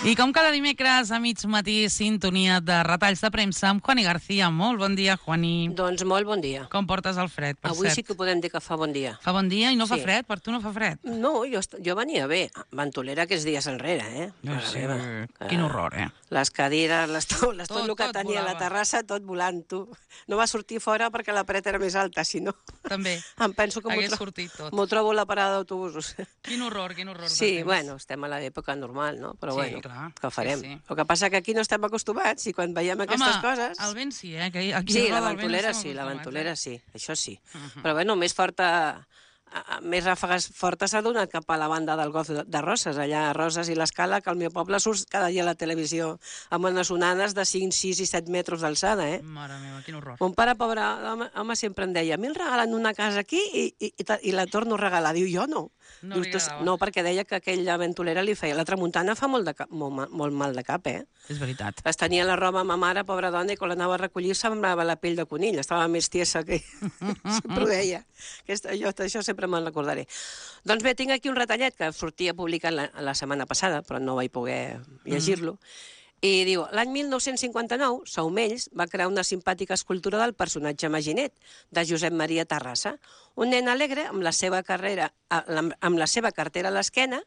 I com cada dimecres a mig matí, sintonia de retalls de premsa amb Juani García. Molt bon dia, Juani. Doncs molt bon dia. Com portes el fred, per Avui cert? sí que podem dir que fa bon dia. Fa bon dia i no fa Sí. fred? Per tu no fa fred? No, jo venia bé. Ventolera aquests dies enrere, Mare Sí, meva. quin horror, Les cadires, les taules, tot el que tot tenia a la volava. terrassa, tot volant, tu. No va sortir fora perquè la paret era més alta, si no... També. Em penso que Hagués sortit tot. m'ho trobo a la parada d'autobusos. Quin horror de Sí, temps. bueno, estem a l'època normal, no? Però Sí, bueno, clar, què farem? sí. El que passa que aquí no estem acostumats i quan veiem aquestes coses... Home, el vent sí, Que aquí Sí, a la Roda del Vent ventolera estem sí, la acostumats, ventolera sí, això sí. Mhm. Però bueno, més forta... Més ràfegues fortes s'ha donat cap a la banda del Golf de Roses, allà a Roses i l'Escala, que al meu poble surt cada dia a la televisió amb unes onanes de 5, 6 i 7 metres d'alçada, Mare meva, quin horror. Mon pare, pobre home, sempre em deia, a mi em regalen una casa aquí i la torno a regalar. Diu, jo no. No Dius, li tu, agradava. no, perquè deia que aquella ventolera li feia. La tramuntana fa molt mal de cap, És veritat. Es tenia la roba a ma mare, pobra dona, i quan l'anava a recollir semblava la pell de conill, estava més tiesa que... sempre ho deia. Això sempre me'n recordaré. Doncs bé, tinc aquí un retallet que sortia publicat la setmana passada, però no vaig poder llegir-lo, i diu, l'any 1959, Saumells va crear una simpàtica escultura del personatge Maginet, de Josep Maria Terrassa, un nen alegre amb la seva cartera a l'esquena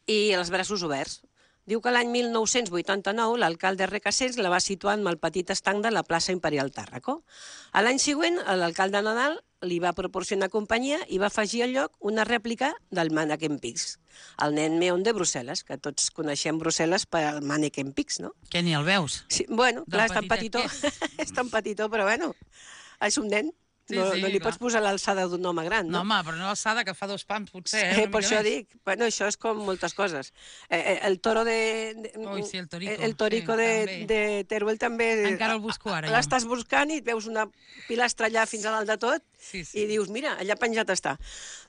i els braços oberts. Diu que l'any 1989 l'alcalde Recasens la va situar en el petit estanc de la plaça Imperial Tàrraco. A l'any següent, l'alcalde Nadal li va proporcionar companyia i va afegir al lloc una rèplica del Manneken Pis, el nen meon de Brussel·les, que tots coneixem Brussel·les pel Manneken Pis, no? Que ni el veus? Sí, bueno, clar, és tan petitet petitó, és tan petitó, però bueno, és un nen. Sí, No, sí, no li clar. pots posar l'alçada d'un home gran, No, no? home, però no l'alçada, que fa 2 pams, potser, Sí, una per mica això més. dic, bueno, això és com moltes coses. El toro Ui, sí, el torico, el torico sí, també. de Teruel també... Encara el busco ara, jo. L'estàs buscant i et veus una pilastra allà fins a dalt de tot Sí, sí. i dius, mira, allà penjat està.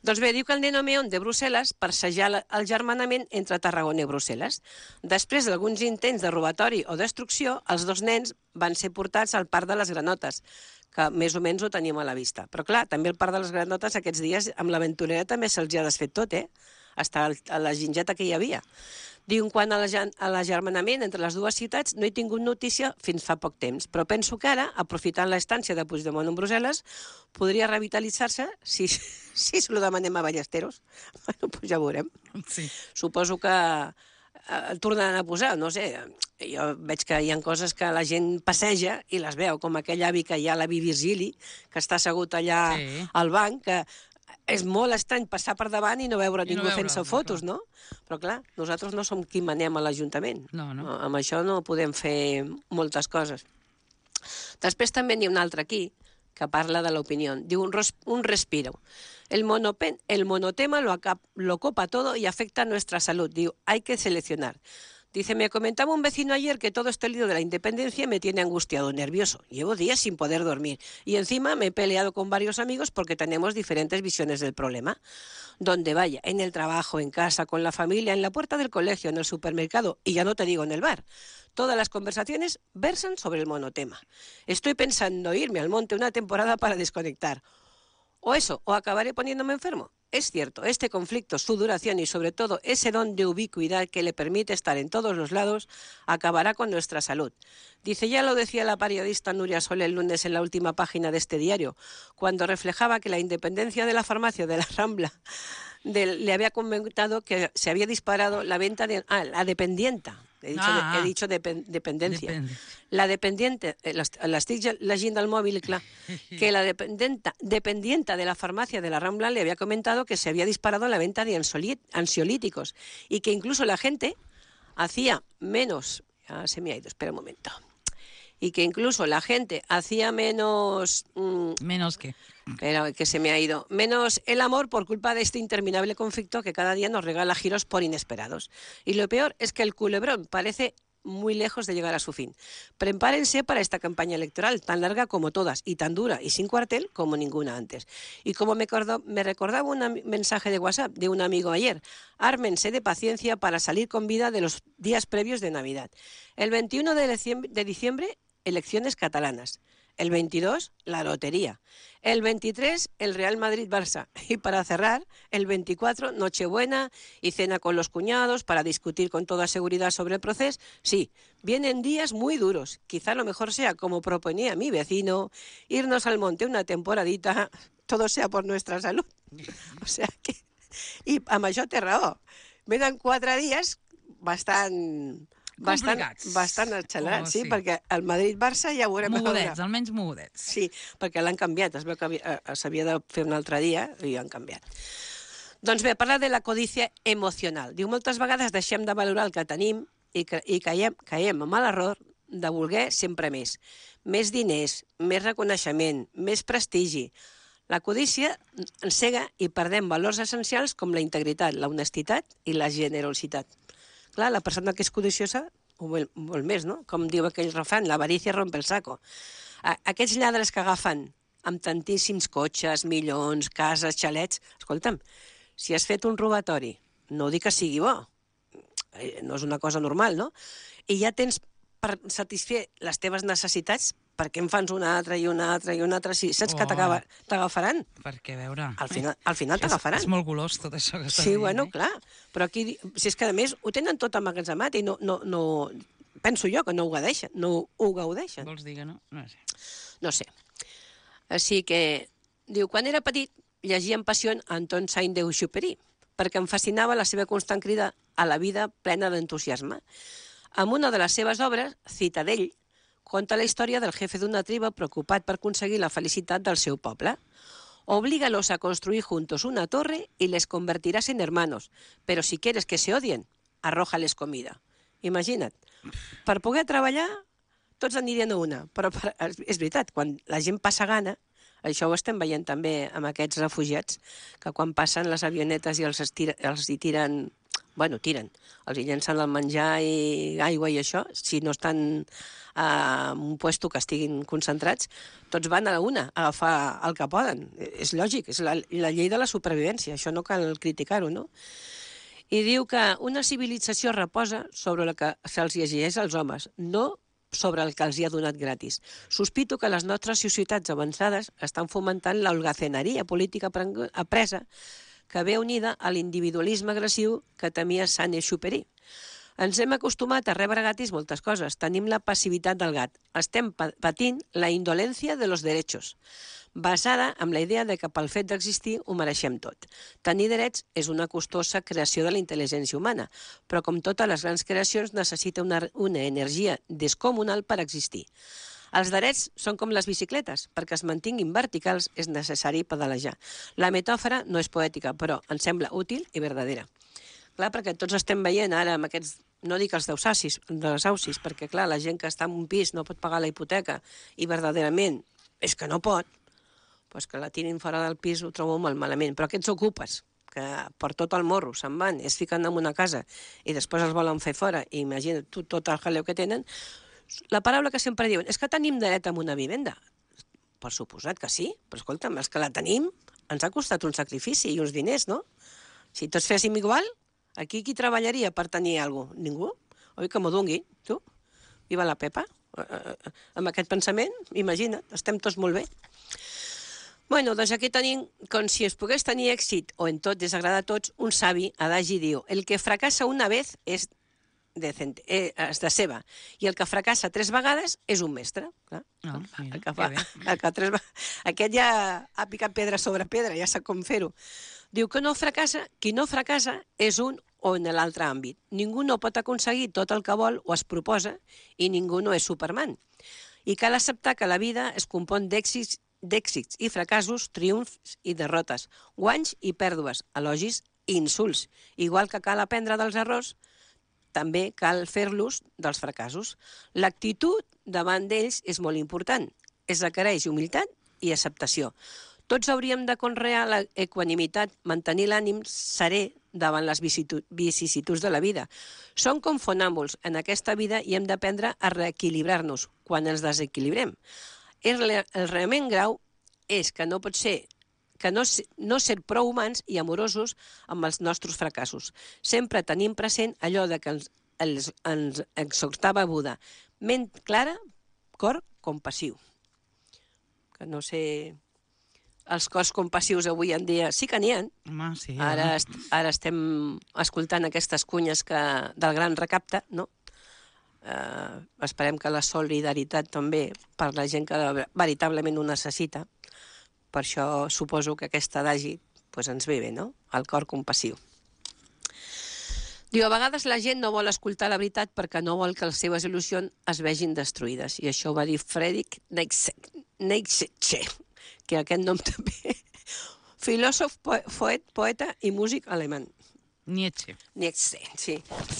Doncs bé, diu que el nen Meon de Brussel·les persejà el germanament entre Tarragona i Brussel·les. Després d'alguns intents de robatori o destrucció, els dos nens van ser portats al Parc de les Granotes, que més o menys ho teníem a la vista. Però clar, també el Parc de les Granotes aquests dies amb l'aventurera també se'ls ha desfet tot, Hasta a la gingeta que hi havia. Diu, quant a l'agermanament entre les dues ciutats, no he tingut notícia fins fa poc temps, però penso que ara, aprofitant l'estància de Puigdemont en Brussel·les, podria revitalitzar-se si se lo demanem a Ballesteros. Bueno, doncs ja ho veurem. Sí. Suposo que el tornaran a posar, no sé. Jo veig que hi ha coses que la gent passeja i les veu, com aquell avi que hi ha, l'avi Virgili, que està assegut allà Sí. al banc, que és molt estrany passar per davant i no veure I no ningú veure'l, fent-se fotos, no? Però clar, nosaltres no som qui manem a l'Ajuntament. No. Amb això no podem fer moltes coses. Després també n'hi ha un altre aquí, que parla de l'opinió. Diu un respiro. El monotema lo copa todo y afecta a nuestra salud. Diu, hay que seleccionar. Dice, me comentaba un vecino ayer que todo este lío de la independencia me tiene angustiado, nervioso. Llevo días sin poder dormir. Y encima me he peleado con varios amigos porque tenemos diferentes visiones del problema. Donde vaya, en el trabajo, en casa, con la familia, en la puerta del colegio, en el supermercado, y ya no te digo en el bar. Todas las conversaciones versan sobre el monotema. Estoy pensando irme al monte una temporada para desconectar. O acabaré poniéndome enfermo. Es cierto, este conflicto, su duración y sobre todo ese don de ubicuidad que le permite estar en todos los lados, acabará con nuestra salud. Dice, ya lo decía la periodista Nuria Sol el lunes en la última página de este diario, cuando reflejaba que la independencia de la farmacia de la Rambla le había comentado que se había disparado la venta de... la dependienta. He dicho dependencia. Depende. La dependiente, l'estic llegint del mòbil, clar, que la dependienta de la farmacia de la Rambla le había comentado que se había disparado la venta de ansiolíticos y que incluso la gente hacía menos... Ya se me ha ido, espera un momento. Y que incluso la gente hacía menos... Menos que... Pero que se me ha ido. Menos el amor por culpa de este interminable conflicto que cada día nos regala giros por inesperados. Y lo peor es que el culebrón parece muy lejos de llegar a su fin. Prepárense para esta campaña electoral tan larga como todas y tan dura y sin cuartel como ninguna antes. Y como me recordaba un mensaje de WhatsApp de un amigo ayer, ármense de paciencia para salir con vida de los días previos de Navidad. El 21 de diciembre, elecciones catalanas. El 22, la lotería. El 23, el Real Madrid-Barça. Y para cerrar, el 24, Nochebuena y cena con los cuñados para discutir con toda seguridad sobre el proceso. Sí, vienen días muy duros. Quizá lo mejor sea, como proponía mi vecino, irnos al monte una temporadita, todo sea por nuestra salud. O sea que... I amb això té raó. Venen 4 dies bastant accelerats, sí, perquè el Madrid-Barça ja ho veurem. Mogudets, almenys mogudets. Sí, perquè l'han canviat, es veu que s'havia de fer un altre dia i han canviat. Doncs bé, parla de la codícia emocional. Diu, moltes vegades deixem de valorar el que tenim i caiem amb l'error de voler sempre més. Més diners, més reconeixement, més prestigi. La codícia ens cega i perdem valors essencials com la integritat, la honestitat i la generositat. Clar, la persona que és codiciosa ho vol més, no? Com diu aquell refrany, l'avarícia rompe el saco. Aquests lladres que agafen amb tantíssims cotxes, milions, cases, xalets... Escolta'm, si has fet un robatori, no dic que sigui bo, no és una cosa normal, no? I ja tens per satisfer les teves necessitats, per què en fans una altra i una altra i una altra? Si saps que t'agafaran. Perquè, a veure... Al final t'agafaran. És molt golós tot això que estàs dient. Sí, bueno, clar. Però aquí, si és que a més ho tenen tot emmagatzemat i no... Penso jo que no ho gaudeixen. Vols dir que no? No sé. No sé. Així que, diu, quan era petit llegia amb passió Anton Saint-Exupéry, perquè em fascinava la seva constant crida a la vida plena d'entusiasme. Amb una de les seves obres, Citadell, conta la història del jefe d'una tribu preocupat per aconseguir la felicitat del seu poble. Oblígalos a construir juntos una torre y les convertirás en hermanos, pero si quieres que se odien, arrójales comida. Imagina't, per poder treballar tots anirien a una, però és veritat, quan la gent passa gana, això ho estem veient també amb aquests refugiats, que quan passen les avionetes i els hi tiren... Bueno, tiren, els hi llencen el menjar i aigua i això, si no estan en un puesto que estiguin concentrats, tots van a una a agafar el que poden. És lògic, és la llei de la supervivència, això no cal criticar-ho, no? I diu que una civilització reposa sobre el que se'ls exigeix als homes, no sobre el que els hi ha donat gratis. Sospito que les nostres societats avançades estan fomentant l'holgazaneria política apresa que ve unida a l'individualisme agressiu que temia Saint-Exupéry. Ens hem acostumat a rebre gratis moltes coses. Tenim la passivitat del gat. Estem patint la indolència de los derechos, basada en la idea de que pel fet d'existir ho mereixem tot. Tenir drets és una costosa creació de la intel·ligència humana, però com totes les grans creacions necessita una energia descomunal per existir. Els drets són com les bicicletes. Perquè es mantinguin verticals és necessari pedalejar. La metàfora no és poètica, però ens sembla útil i verdadera. Clar, perquè tots estem veient ara amb aquests, no dic els desahucis, perquè clar, la gent que està en un pis no pot pagar la hipoteca i verdaderament és que no pot, doncs que la tirin fora del pis ho trobo molt malament. Però aquests ocupes, que per tot el morro se'n van, es fiquen en una casa i després els volen fer fora, i imagina't tu tot el jaleu que tenen. La paraula que sempre diuen és que tenim dret a una vivenda. Per suposat que sí, però escolta'm, els que la tenim ens ha costat un sacrifici i uns diners, no? Si tots féssim igual, aquí qui treballaria per tenir alguna cosa? Ningú? Oi, que m'ho dongui, tu? Viva la Pepa. Amb aquest pensament, imagina't, estem tots molt bé. Bueno, doncs aquí tenim, com si es pogués tenir èxit o en tot desagrada a tots, un savi adagi diu: el que fracassa una vez és de seva, i el que fracassa 3 vegades és un mestre. Aquest ja ha picat pedra sobre pedra, ja sap com fer-ho. Diu que qui no fracassa és un o en l'altre àmbit. Ningú no pot aconseguir tot el que vol o es proposa i ningú no és Superman. I cal acceptar que la vida es compon d'èxits i fracassos, triomfs i derrotes, guanys i pèrdues, elogis i insults. Igual que cal aprendre dels errors, també cal fer-los dels fracassos. L'actitud davant d'ells és molt important. Es requereix humilitat i acceptació. Tots hauríem de conrear l'equanimitat, mantenir l'ànim serè davant les vicissituds de la vida. Som com fonàmbuls en aquesta vida i hem d'aprendre a reequilibrar-nos quan ens desequilibrem. El realment grau és que no pot ser no ser prou humans i amorosos amb els nostres fracassos. Sempre tenim present allò de que ens exhortava Buda: ment clara, cor compassiu. que no sé... Els cors compassius avui en dia sí que n'hi ha. Home, sí. Ara estem escoltant aquestes cunyes del gran recapte, no? Esperem que la solidaritat també per la gent que veritablement ho necessita. Per això suposo que aquest adagi ens ve bé, no? El cor compassiu. Diu, a vegades la gent no vol escoltar la veritat perquè no vol que les seves il·lusions es vegin destruïdes. I això ho va dir Friedrich Nietzsche, que aquest nom també... Filòsof, poeta i músic alemany. Nietzsche, sí.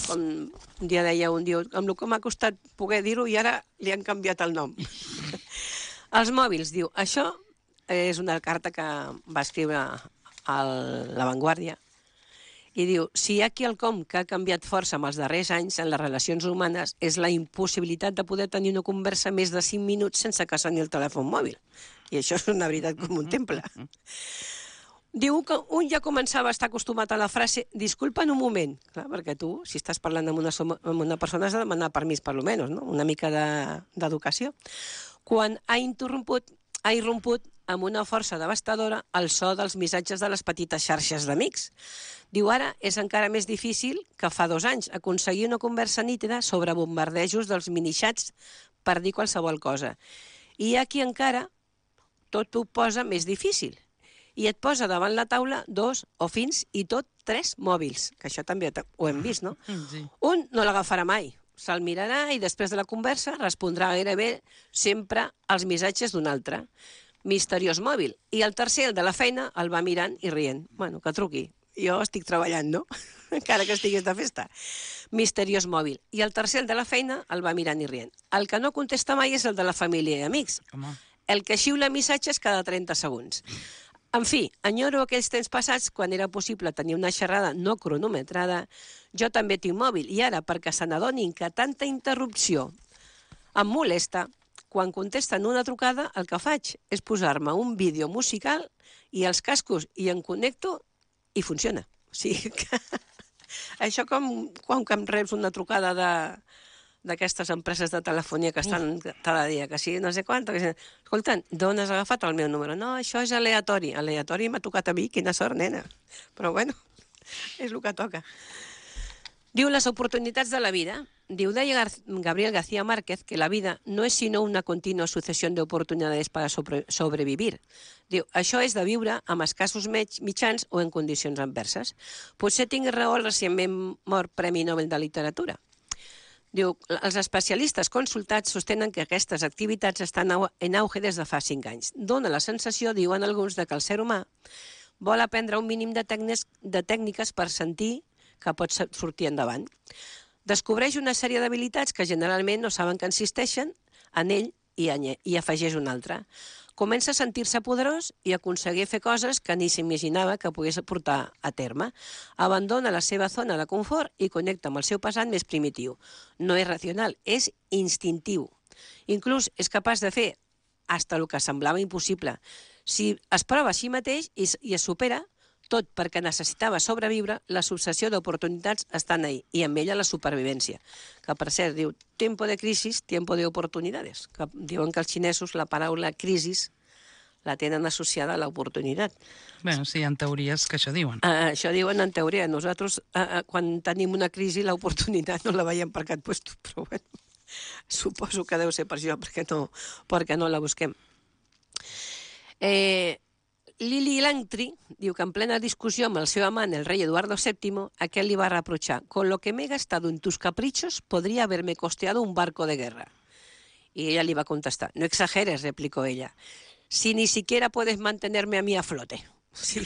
Com un dia deia un dia, amb el que m'ha costat poder dir-ho i ara li han canviat el nom. Els mòbils, diu, això és una carta que va escriure a La Vanguardia, i diu, si hi ha quelcom que ha canviat força amb els darrers anys en les relacions humanes és la impossibilitat de poder tenir una conversa més de 5 minuts sense que soni el telèfon mòbil. I això és una veritat com un temple. Diu que un ja començava a estar acostumat a la frase disculpa'n un moment. Clar, perquè tu, si estàs parlant amb una persona, has de demanar permís, per almenys, no? Una mica d'educació. Quan ha irromput amb una força devastadora el so dels missatges de les petites xarxes d'amics. Diu, ara és encara més difícil que fa 2 anys aconseguir una conversa nítida sobre bombardejos dels minixats per dir qualsevol cosa. I hi ha qui encara tot ho posa més difícil i et posa davant la taula 2 o fins i tot 3 mòbils, que això també ho hem vist, no? sí. Un no l'agafarà mai, se'l mirarà i després de la conversa respondrà gairebé sempre als missatges d'un altre. Misteriós mòbil. I el tercer, el de la feina, el va mirant i rient. Bueno, que truqui. Jo estic treballant, no? Encara que estigués de festa. Misteriós mòbil. I el tercer, el de la feina, el va mirant i rient. El que no contesta mai és el de la família i amics. Home. El que xiula missatges cada 30 segons. En fi, enyoro aquells temps passats quan era possible tenir una xerrada no cronometrada. Jo també tinc mòbil i ara, perquè se n'adonin que tanta interrupció em molesta, quan contesten una trucada, el que faig és posar-me un vídeo musical i els cascos i em connecto i funciona. O sigui que això com quan em reps una trucada d'aquestes empreses de telefonia que estan cada dia, que sí, no sé quant, que escolta, d'on has agafat el meu número? No, això és aleatori. Aleatori m'ha tocat a mi, quina sort, nena. Però bueno, és el que toca. Diu, les oportunitats de la vida. Diu, deia Gabriel García Márquez que la vida no és sinó una contínua successió d'oportunitats per sobrevivir. Diu, això és de viure amb escassos mitjans o en condicions adverses. Potser tingui raó el recentment mort Premi Nobel de Literatura. Diu, els especialistes consultats sostenen que aquestes activitats estan en auge des de fa 5 anys. Dóna la sensació, diuen alguns, de que el ser humà vol aprendre un mínim de tècniques per sentir que pot sortir endavant. Descobreix una sèrie d'habilitats que generalment no saben que existeixen en ell i afegeix una altra. Comença a sentir-se poderós i a aconseguir fer coses que ni s'imaginava que pogués portar a terme. Abandona la seva zona de confort i connecta amb el seu passat més primitiu. No és racional, és instintiu. Inclús és capaç de fer hasta el que semblava impossible. Si es prova a si mateix i es supera, tot perquè necessitava sobreviure, la successió d'oportunitats estan ahí, i amb ella la supervivència. Que, per cert, diu, tiempo de crisis, tiempo de oportunidades. Que diuen que els xinesos la paraula crisis la tenen associada a l'oportunitat. Bé, sí, hi ha teories que això diuen. Això diuen en teoria. Nosaltres, quan tenim una crisi, l'oportunitat no la veiem per cap lloc, però bueno, suposo que deu ser per això, perquè no la busquem. Lili Langtry diu que en plena discussió amb el seu amant, el rei Eduardo VII, aquel li va reprochar: con lo que me he gastado en tus caprichos, podría haberme costeado un barco de guerra. Y ella le va a contestar: no exageres, replicó ella, si ni siquiera puedes mantenerme a mí a flote. Sí.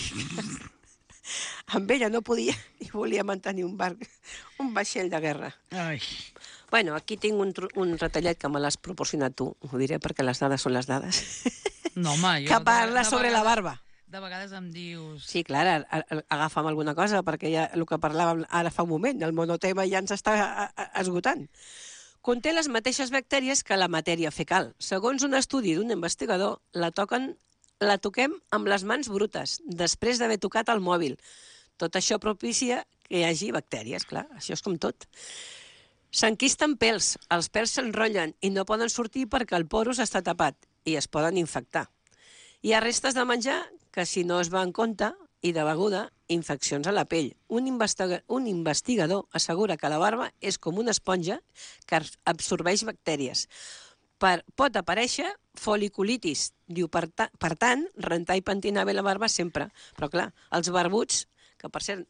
Amb ella no podia i volia mantenir un vaixell de guerra. Ai. Bueno, aquí tinc un retallet que me l'has proporcionat tu, ho diré perquè les dades són les dades. No, home, jo... Que parla sobre la barba. De vegades em dius... Sí, clar, agafa'm alguna cosa, perquè ja el que parlàvem ara fa un moment, el monotema ja ens està esgotant. Conté les mateixes bactèries que la matèria fecal. Segons un estudi d'un investigador, la toquem amb les mans brutes, després d'haver tocat el mòbil. Tot això propicia que hi hagi bactèries, clar, això és com tot. S'enquisten pèls, els pèls s'enrotllen i no poden sortir perquè el porus està tapat i es poden infectar. Hi ha restes de menjar que, si no es va en compte, i de beguda, infeccions a la pell. Un investigador assegura que la barba és com una esponja que absorbeix bactèries. Pot aparèixer foliculitis. Diu, per tant, rentar i pentinar bé la barba sempre. Però clar, els barbuts, que per cert...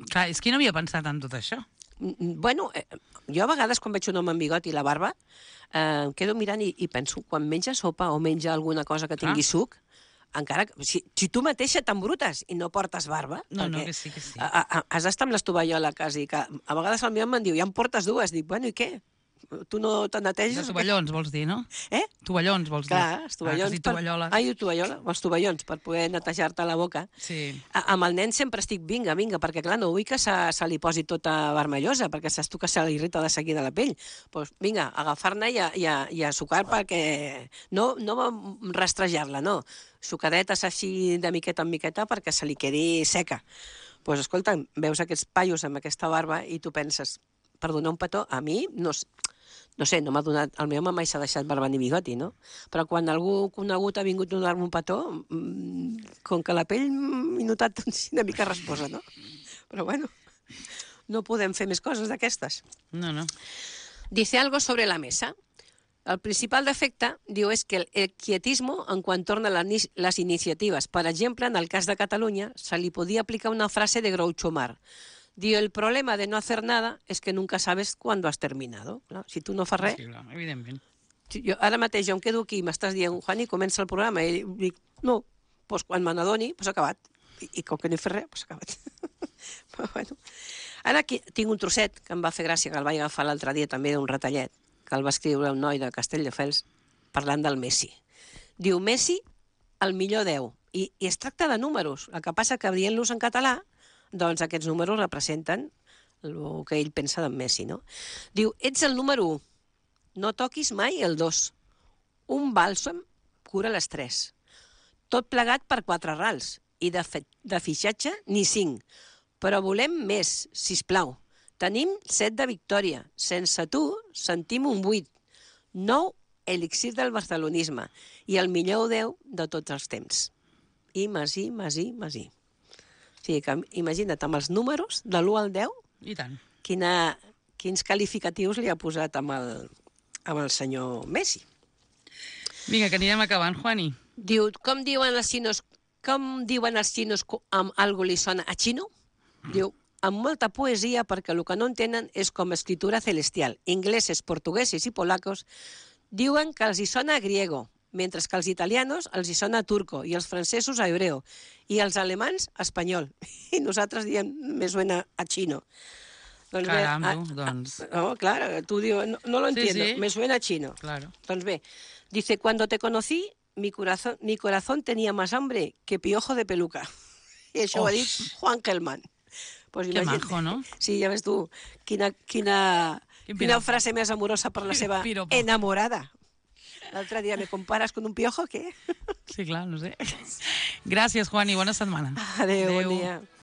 Clar, és que no havia pensat en tot això. Bueno, jo a vegades quan veig un home amb bigot i la barba em quedo mirant i penso, quan menja sopa o menja alguna cosa que tingui suc, encara que, si tu mateixa t'embrutes i no portes barba... No, que sí, que sí. Has d'estar amb l'estovallola quasi, que a vegades el meu em diu, ja em portes dues. Dic, bueno, i què? Tu no te neteges? De tovallons, vols dir, no? Tovallons, vols dir? Clar, els tovallons. Tovalloles. Els tovallons, per poder netejar-te la boca. Sí. Amb el nen sempre estic, vinga, perquè clar, no vull que se li posi tota vermellosa, perquè saps tu que se li irrita de seguida la pell. Doncs vinga, agafar-ne i a sucar perquè... No rastrejar-la, no. Sucadetes així de miqueta en miqueta perquè se li quedi seca. Doncs escolta, veus aquests paios amb aquesta barba i tu penses, per donar un petó, a mi no sé, no m'ha donat... El meu home mai s'ha deixat barba ni bigoti, no? Però quan algú conegut ha vingut a donar-me un petó, com que la pell m'he notat una mica resposa, no? Però bueno, no podem fer més coses d'aquestes. No. Dice algo sobre la mesa. El principal defecte, diu, és que el quietismo en quan torna les iniciatives. Per exemple, en el cas de Catalunya, se li podia aplicar una frase de Groucho Marx. Diu, el problema de no hacer nada es que nunca sabes cuándo has terminado. Si tu no fas res... Sí, clar, evidentment. Ara mateix jo em quedo aquí i m'estàs dient, Juani, comença el programa. I dic, no, doncs quan me n'adoni, doncs acabat. I com que no he fet res, doncs acabat. Però bueno. Ara aquí tinc un trosset que em va fer gràcia, que el vaig agafar l'altre dia també d'un ratallet, que el va escriure un noi de Castelldefels parlant del Messi. Diu, Messi, el millor 10. I es tracta de números. El que passa que dient-los en català, doncs aquests números representen el que ell pensa d'en Messi, no? Diu, ets el número 1, no toquis mai el 2. Un bàlsam cura les 3. Tot plegat per 4 rals. I de fitxatge ni 5. Però volem més, sisplau. Tenim 7 de victòria. Sense tu sentim un 8. 9, elixir del barcelonisme. I el millor 10 de tots els temps. I Masí. O sigui, que imagina't, amb els números de l'1 al 10, I tant. quins qualificatius li ha posat amb el senyor Messi. Vinga, que anirem acabant, Juani. Diu, com diuen els xinos amb algo li sona a xino? Diu, amb molta poesia, perquè el que no entenen és com escritura celestial. Ingleses, portugueses i polacos diuen que els hi sona a griego, mentre que als italianos els hi sona a turco i els francesos a hebreo i els alemans a espanyol. I nosaltres diem, me suena a chino. Doncs Caram, doncs... No, claro, tú digo, no lo entiendo, sí. Me suena a chino. Claro. Doncs bé, dice, cuando te conocí, mi corazón tenía más hambre que piojo de peluca. I això ho ha dit Juan Gelman. Pues que majo, no? Sí, ja ves tu, quina frase més amorosa per la seva enamorada. L'altre dia, ¿me comparas con un piojo o què? Sí, clar, no sé. Gràcies, Juani, bona setmana. Adéu, bon dia.